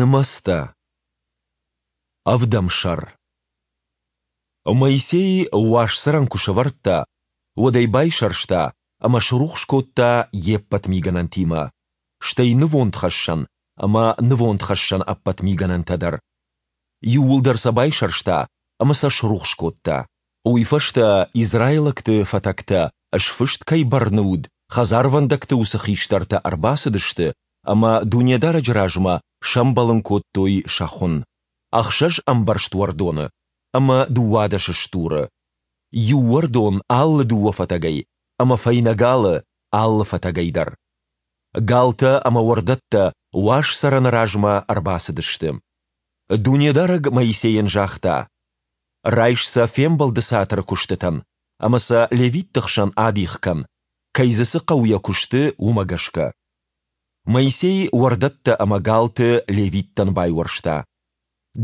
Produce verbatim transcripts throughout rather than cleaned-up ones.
Нымӕцтӕ. Ӕвдӕм сӕр. Моисей Уаз Цӕрӕн куы сӕвӕрдта, уӕд ӕй байсӕрста ӕмӕ срухс кодта йе ппӕт мигӕнӕнтимӕ, стӕй нывондхӕссӕн ӕмӕ нывондхӕссӕны ӕппӕт мигӕнӕнтӕ дӕр. Иууылдӕр сӕ байсӕрста ӕмӕ сӕ срухс кодта. Уый фӕстӕ израилӕгты фӕтӕгтӕ, сфыст кӕй бӕрны уыд, хӕдзарвӕндӕгты уыцы хистӕртӕ ӕрбацыдысты ӕмӕ Дунедарӕджы размӕ сӕмбӕлын кодтой сӕ хуын, ӕхсӕз ӕмбӕрзт уӕрдоны ӕмӕ дыууадӕс стуры, иу уӕрдон алы дыууӕ фӕтӕгӕй ӕмӕ фӕйнӕ галы алы фӕтӕгӕй дӕр. Галтӕ ӕмӕ уӕрдӕттӕ Уаз Цӕрӕны размӕ ӕрбацыдысты. Дунедарӕг Моисейӕн загъта: Райс сӕ Фембӕлды Цатыры куыстытӕн ӕмӕ сӕ левитты хсӕн адих кӕн, кӕй дзы цы хъӕуы йӕ куысты, уымӕ гӕсгӕ. Моисей уӕрдӕттӕ ӕмӕ галты левиттӕн байуӕрста.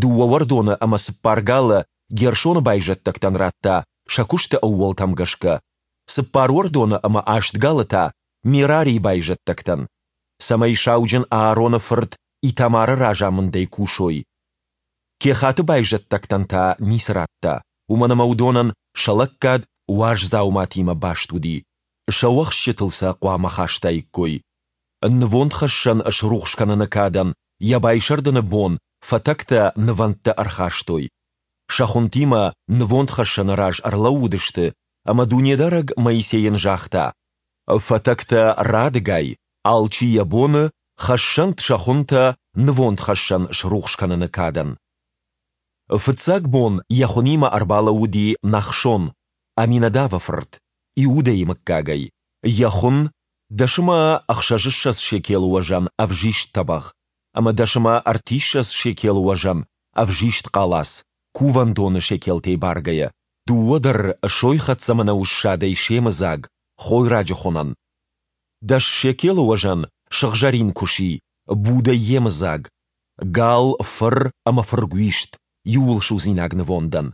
Дыууӕ уӕрдоны ӕмӕ цыппар галы Гершоны байзӕддӕгтӕн радта сӕ куысты ӕууӕлтӕм гӕсгӕ, цыппар уӕрдоны ӕмӕ аст галы та Мерарийы байзӕддӕгтӕн, цӕмӕй сауджын Аароны фырт Итамары разамындӕй кусой. Кехаты байзӕддӕгтӕн та ницы радта, уымӕн ӕмӕ уыдонӕн сӕ лӕггад уаз дзауматимӕ баст уыди, сӕ уӕхсчытыл сӕ хъуамӕ хастаиккой. Нывондхӕссӕн срухс кӕныны кадӕн йӕ байсӕрдыны бон фӕтӕгтӕ нывӕндтӕ ӕрхастой. Сӕ хуынтимӕ нывондхӕссӕны раз ӕрлӕууыдысты, ӕмӕ Дунедарӕг Моисейӕн загъта: Фӕтӕгтӕ радыгай, алчи йӕ боны, хӕссӕнт сӕ хуынтӕ нывондхӕссӕн срухс кӕныны кадӕн. Фыццаг бон йӕ хуынимӕ ӕрбалӕууыди Нахшон, Аминадавы фырт, Иудӕйы мыггагӕй. Йӕ хуын, дӕс ӕмӕ ӕхсӕзыссӕдз шекелы уӕзӕн ӕвзист тӕбӕгъ ӕмӕ дӕс ӕмӕ ӕртиссӕдз шекелы уӕзӕн ӕвзист хъалац, кувӕндоны шекелтӕй баргӕйӕ, дыууӕ дӕр сойхӕццӕ мӕнӕуы ссадӕй семыдзаг, хойраджы хуынӕн. Дӕс шекелы уӕзӕн сыгъзӕрин куыси, будӕй йемыдзаг, гал, фыр ӕмӕ фыргуист, иууылсудзинаг нывондӕн,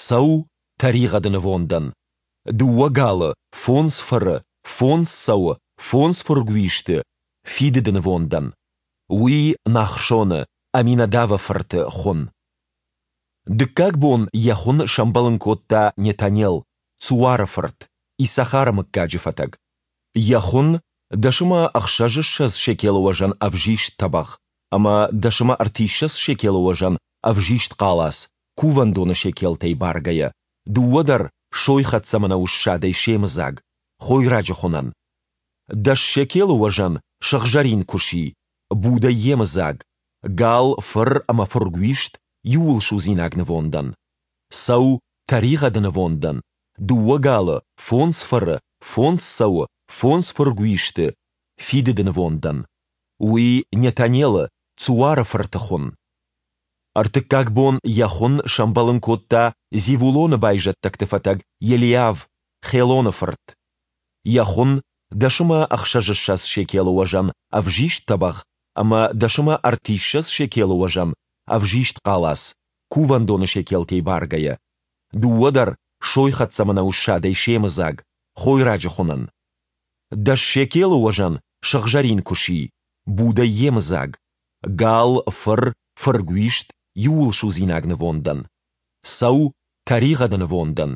цӕу, тӕригъӕды нывондӕн, дыууӕ галы, фондз фыры, фондз цӕуы, фондз фыргуисты, фидыды нывондӕн. Уый Нахшоны, Аминадавы фырты, хуын. Дыккаг бон йӕ хуын сӕмбӕлын кодта Нетанел, Цуары фырт, Иссахары мыггаджы фӕтӕг. Йӕ хуын, дӕс ӕмӕ ӕхсӕзыссӕдз шекелы уӕзӕн ӕвзист тӕбӕгъ ӕмӕ дӕс ӕмӕ ӕртиссӕдз шекелы уӕзӕн ӕвзист хъалац, кувӕндоны шекелтӕй баргӕйӕ, дыууӕ дӕр сойхӕццӕ мӕнӕуы ссадӕй семыдзаг, хойраджы хуынӕн. Дӕс шекелы уӕзӕн сыгъзӕрин куыси, будӕй йемыдзаг, гал, фыр ӕмӕ фыргуист, иууылсудзинаг нывондӕн. Цӕу, тӕригъӕды нывондӕн, дыууӕ галы, фондз фыры, фондз цӕуы, фондз фыргуисты, фидыды нывондӕн. Уый Нетанелы, Цуары фырты хуын. Ӕртыккаг бон йӕ хуын сӕмбӕлын кодта Зевулоны байзӕддӕгты фӕтӕг Елиав, Хелоны фырт. Йӕ хуын, дӕс ӕмӕ ӕхсӕзыссӕдз шекелы уӕзӕн ӕвзист тӕбӕгъ ӕмӕ дӕс ӕмӕ ӕртиссӕдз шекелы уӕзӕн ӕвзист хъалац, кувӕндоны шекелтӕй баргӕйӕ, дыууӕ дӕр сойхӕццӕ мӕнӕуы ссадӕй семыдзаг, хойраджы хуынӕн. Дӕс шекелы уӕзӕн сыгъзӕрин куыси, будӕй йемыдзаг, гал, фыр, фыргуист, иууылсудзинаг нывондӕн. Цӕу, тӕригъӕды нывондӕн,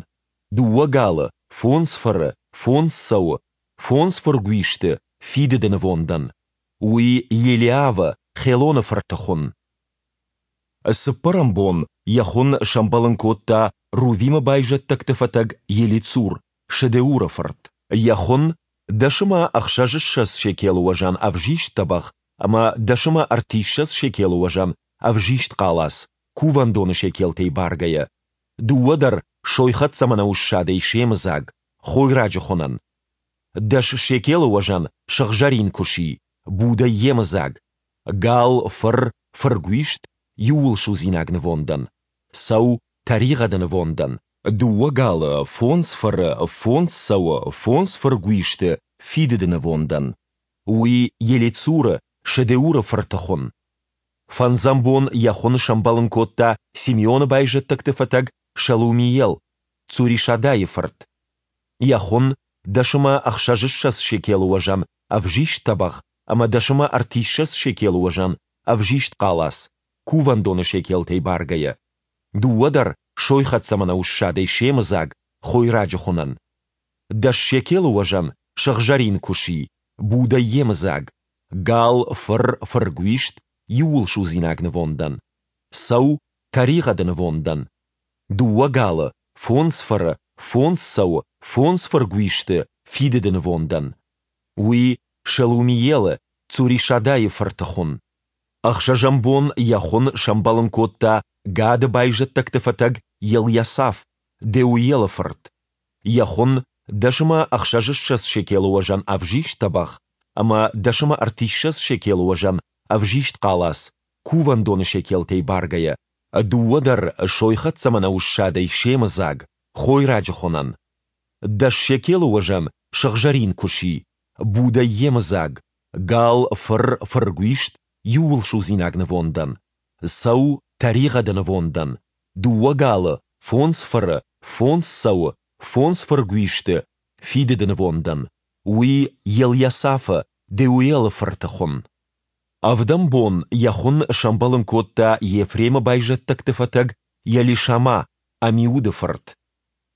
дыууӕ галы, фондз фыры, фондз цӕуы, фондз фыргуисты, фидыды нывондӕн. Уый Елиавы, Хелоны фырты хуын. Цыппӕрӕм бон йӕ хуын сӕмбӕлын кодта Рувимы байзӕддӕгты фӕтӕг Елицур, Шедеуры фырт. Йӕ хуын, дӕс ӕмӕ ӕхсӕзыссӕдз шекелы уӕзӕн ӕвзист тӕбӕгъ ӕмӕ дӕс ӕмӕ ӕртиссӕдз шекелы уӕзӕн ӕвзист хъалац, кувӕндоны шекелтӕй баргӕйӕ, дыууӕ дӕр сойхӕццӕ мӕнӕуы ссадӕй семыдзаг, хойраджы хуынӕн. Дӕс шекелы уӕзӕн сыгъзӕрин куыси, будӕй йемыдзаг, гал, фыр, фыргуист, иууылсудзинаг нывондӕн, цӕу, тӕригъӕды нывондӕн, дыууӕ галы, фондз фыры, фондз цӕуы, фондз фыргуисты, фидыды нывондӕн. Уый Елицуры, Шедеуры фырты хуын. Фӕндзӕм бон йӕ хуын сӕмбӕлын кодта Симеоны байзӕддӕгты фӕтӕг Шелумиел, Цуришадайы фырт. Йӕ хуын, дӕс ӕмӕ ӕхсӕзыссӕдз шекелы уӕзӕн ӕвзист тӕбӕгъ ӕмӕ дӕс ӕмӕ ӕртиссӕдз шекелы уӕзӕн ӕвзист хъалац, кувӕндоны шекелтӕй баргӕйӕ, дыууӕ дӕр сойхӕццӕ мӕнӕуы ссадӕй семыдзаг, хойраджы хуынӕн. Дӕс шекелы уӕзӕн сыгъзӕрин куыси, будӕй йемыдзаг, гал, фыр, фыргуист, иууылсудзинаг нывондӕн, цӕу, тӕригъӕды нывондӕн, дыууӕ галы, фондз фыры, фондз цӕуы, фондз фыргуисты, фидыды нывондӕн. Уый Шелумиелы, Цуришадайы фырты хуын. Ӕхсӕзӕм бон йӕ хуын сӕмбӕлын кодта Гады байзӕддӕгты фӕтӕг Елйасаф, Деуелы фырт. Йӕ хуын, дӕс ӕмӕ ӕхсӕзыссӕдз шекелы уӕзӕн ӕвзист тӕбӕгъ ӕмӕ дӕс ӕмӕ ӕртиссӕдз шекелы уӕзӕн ӕвзист хъалац, кувӕндоны шекелтӕй баргӕйӕ, дыууӕ дӕр сойхӕццӕ мӕнӕуы ссадӕй семыдзаг, хойраджы хуынӕн. Дӕс шекелы уӕзӕн сыгъзӕрин куыси, будӕй йемыдзаг, гал, фыр, фыргуист, иууылсудзинаг нывондӕн, цӕу, тӕригъӕды нывондӕн, дыууӕ галы, фондз фыры, фондз цӕуы, фондз фыргуисты, фидыды нывондӕн. Уый Елйасафы, Деуелы фырты хуын. Ӕвдӕм бон йӕ хуын сӕмбӕлын кодта Ефремы байзӕддӕгты фӕтӕг Елишама, Амиуды фырт.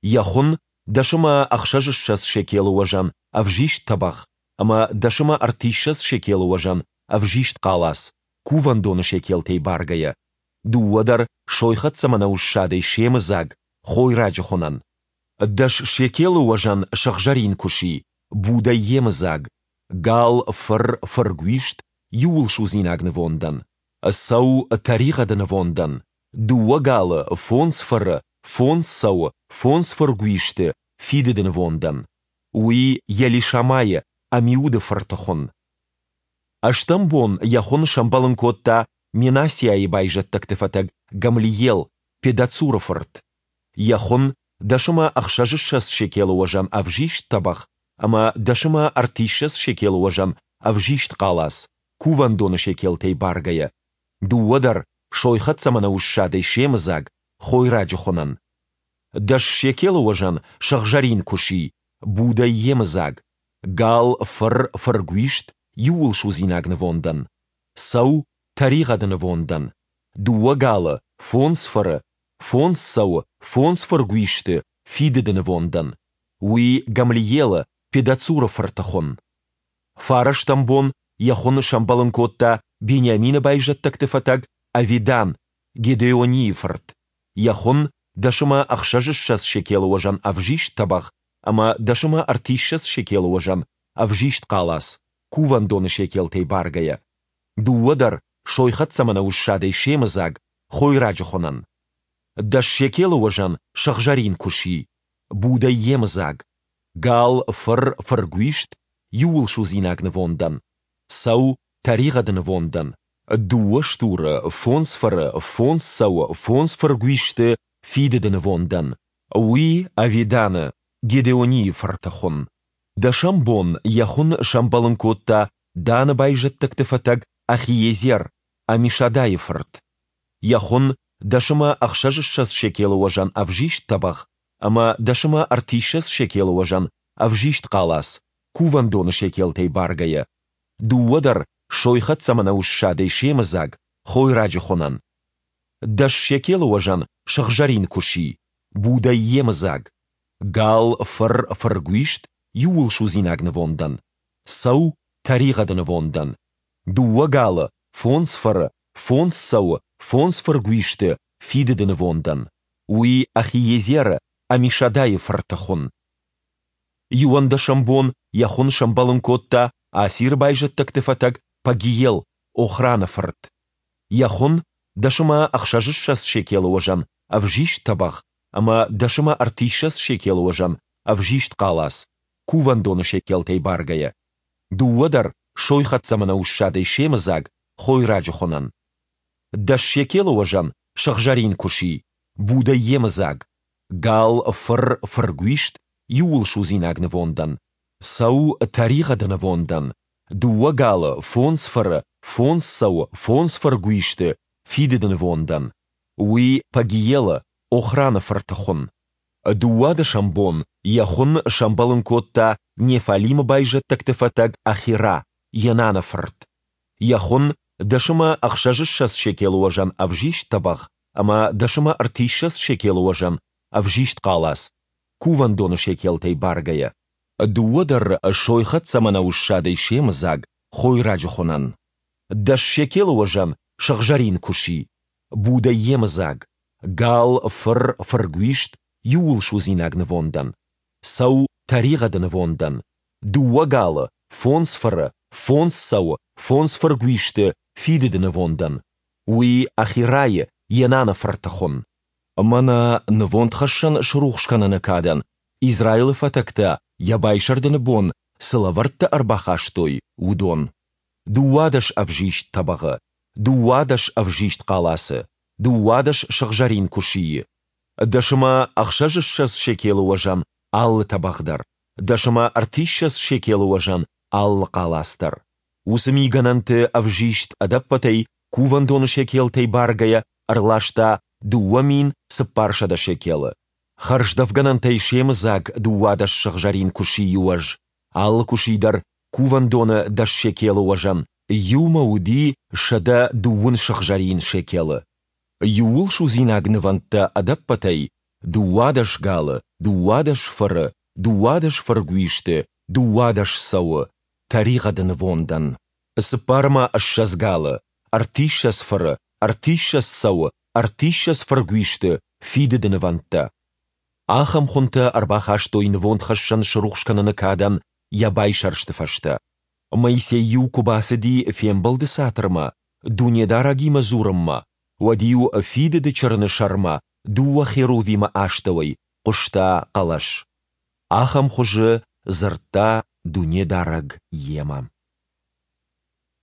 Йӕ хуын, дӕс ӕмӕ ӕхсӕзыссӕдз шекелы уӕзӕн ӕвзист тӕбӕгъ ӕмӕ дӕс ӕмӕ ӕртиссӕдз шекелы уӕзӕн ӕвзист хъалац, кувӕндоны шекелтӕй баргӕйӕ, дыууӕ дӕр сойхӕццӕ мӕнӕуы ссадӕй семыдзаг, хойраджы хуынӕн. Дӕс шекелы уӕзӕн сыгъзӕрин куыси, будӕй йемыдзаг, гал, фыр, фыргуист, иууылсудзинаг нывондӕн, цӕу, тӕригъӕды нывондӕн, дыууӕ галы, фондз фыры, фондз цӕуы, фондз фыргуисты, фидыды нывондӕн. Уый Елишамайы, Амиуды фырты хуын. Ӕстӕм бон йӕ хуын сӕмбӕлын кодта Менассиайы байзӕддӕгты фӕтӕг Гамлиел, Педацуры фырт. Йӕ хуын, дӕс ӕмӕ ӕхсӕзыссӕдз шекелы уӕзӕн ӕвзист тӕбӕгъ ӕмӕ дӕс ӕмӕ ӕртиссӕдз шекелы уӕзӕн ӕвзист хъалац, кувӕндоны шекелтӕй баргӕйӕ, дыууӕ дӕр сойхӕццӕ мӕнӕуы ссадӕй семыдзаг, хойраджы хуынӕн. Дӕс шекелы уӕзӕн сыгъзӕрин куыси, будӕй йемыдзаг, гал, фыр, фыргуист, иууылсудзинаг нывондӕн, цӕу, тӕригъӕды нывондӕн, дыууӕ галы, фондз фыры, фондз цӕуы, фондз фыргуисты, фидыды нывондӕн. Уый Гамлиелы, Педацуры фырты хуын. Фарӕстӕм бон йӕ хуын сӕмбӕлын кодта Бениамины байзӕддӕгты фӕтӕг Авидан, Гедеонийы фырт. Йӕ хуын, дӕс ӕмӕ ӕхсӕзыссӕдз шекелы уӕзӕн ӕвзист тӕбӕгъ ӕмӕ дӕс ӕмӕ ӕртиссӕдз шекелы уӕзӕн ӕвзист хъалац, кувӕндоны шекелтӕй баргӕйӕ, дыууӕ дӕр сойхӕццӕ мӕнӕуы ссадӕй семыдзаг, хойраджы хуынӕн. Дӕс шекелы уӕзӕн сыгъзӕрин куыси, будӕй йемыдзаг, гал, фыр, фыргуист, иууылсудзинаг нывондӕн, цӕу, тӕригъӕды нывондӕн, дыууӕ стуры, фондз фыры, фондз цӕуы, фондз фыргуисты, фидыды нывондӕн. Уый Авиданы, Гедеонийы фырты хуын. Дӕсӕм бон йӕ хуын сӕмбӕлын кодта Даны байзӕддӕгты фӕтӕг Ахиезер, Амишадайы фырт. Йӕ хуын, дӕс ӕмӕ ӕхсӕзыссӕдз шекелы уӕзӕн ӕвзист тӕбӕгъ ӕмӕ дӕс ӕмӕ ӕртиссӕдз шекелы уӕзӕн ӕвзист хъалац, кувӕндоны шекелтӕй баргӕйӕ, дыууӕ дӕр сойхӕццӕ мӕнӕуы ссадӕй семыдзаг, хойраджы хуынӕн. Дӕс шекелы уӕзӕн сыгъзӕрин куыси, будӕй йемыдзаг, гал, фыр, фыргуист, иууылсудзинаг нывондӕн, цӕу, тӕригъӕды нывондӕн, дыууӕ галы, фондз фыры, фондз цӕуы, фондз фыргуисты, фидыды нывондӕн. Уый Ахиезеры, Амишадайы фырты хуын. Иуӕндӕсӕм бон йӕ хуын сӕмбӕлын кодта Асиры байзӕддӕгты фӕтӕг Пагиел, Охраны фырт. Йӕ хуын, дӕс ӕмӕ ӕхсӕзыссӕдз шекелы уӕзӕн ӕвзист тӕбӕгъ ӕмӕ дӕс ӕмӕ ӕртиссӕдз шекелы уӕзӕн ӕвзист хъалац, кувӕндоны шекелтӕй баргӕйӕ, дыууӕ дӕр сойхӕццӕ мӕнӕуы ссадӕй семыдзаг, хойраджы хуынӕн. Дӕс шекелы уӕзӕн сыгъзӕрин куыси, будӕй йемыдзаг, гал, фыр, фыргуист, иууылсудзинаг нывондӕн, цӕу, тӕригъӕды нывондӕн, дыууӕ галы, фондз фыры, фондз цӕуы, фондз фыргуисты, фидыды нывондӕн. Уый Пагиелы, Охраны фырты хуын. Дыууадӕсӕм бон йӕ хуын сӕмбӕлын кодта Неффалимы байзӕддӕгты фӕтӕг Ахира, Енаны фырт. Йӕ хуын, дӕс ӕмӕ ӕхсӕзыссӕдз шекелы уӕзӕн ӕвзист тӕбӕгъ ӕмӕ дӕс ӕмӕ ӕртиссӕдз шекелы уӕзӕн ӕвзист хъалац, кувӕндоны шекелтӕй баргӕйӕ. Дыууӕ дӕр сойхӕццӕ мӕнӕуы ссадӕй семыдзаг, хойраджы хуынӕн. Дӕс шекелы уӕзӕн сыгъзӕрин куыси, будӕй йемыдзаг, гал, фыр, фыргуист, иууылсудзинаг нывондӕн, цӕу тӕригъӕды нывондӕн, дыууӕ галы, фондз фыры, фондз цӕуы, фондз фыргуисты фидыды нывондӕн, уый Ахирайы, Енаны фырты хуын. Мӕнӕ нывондхӕссӕн срухс кӕныны кадӕн Израилы фӕтӕгтӕ йӕ байсӕрдыны бон цы лӕвӕрттӕ ӕрбахастой, уыдон, дыууадӕс ӕвзист тӕбӕгъы, дыууадӕс ӕвзист хъалацы, дыууадӕс сыгъзӕрин куысийы, дӕс ӕмӕ ӕхсӕзыссӕдз шекелы уӕзӕн алы тӕбӕгъ дӕр, дӕс ӕмӕ ӕртиссӕдз шекелы уӕзӕн алы хъалац дӕр. Уыцы мигӕнӕнты ӕвзист ӕдӕппӕтӕй кувӕндоны шекелтӕй баргӕйӕ ӕрласта дыууӕ мин цыппарсӕдӕ шекелы. Хӕрздӕфгӕнӕнтӕй семыдзаг дыууадӕс сыгъзӕрин куысийы уӕз, алы куыси дӕр кувӕндоны дӕс шекелы уӕзӕн, иумӕ уыди сӕдӕ дыууын сыгъзӕрин шекелы. Иууылсудзинаг нывӕндтӕ ӕдӕппӕтӕй, дыууадӕс галы, дыууадӕс фыры, дыууадӕс фыргуисты, дыууадӕс цӕуы, тӕригъӕды нывондӕн. Цыппар ӕмӕ ссӕдз галы, ӕртиссӕдз фыры, ӕртиссӕдз цӕуы, ӕртиссӕдз фыргуисты, фидыды нывӕндтӕ. Ахӕм хуынтӕ ӕрбахастой нывондхӕссӕн срухс кӕныны кадӕн йӕ байсӕрсты фӕстӕ. Моисей-иу куы бацыди Фембӕлды Цатырмӕ, Дунедарӕгимӕ дзурынмӕ, уӕд-иу Фидыды Чырыны сӕрмӕ, дыууӕ херувимы астӕуӕй, хъуыста хъӕлӕс. Ахӕм хуызы дзырдта Дунедарӕг йемӕ.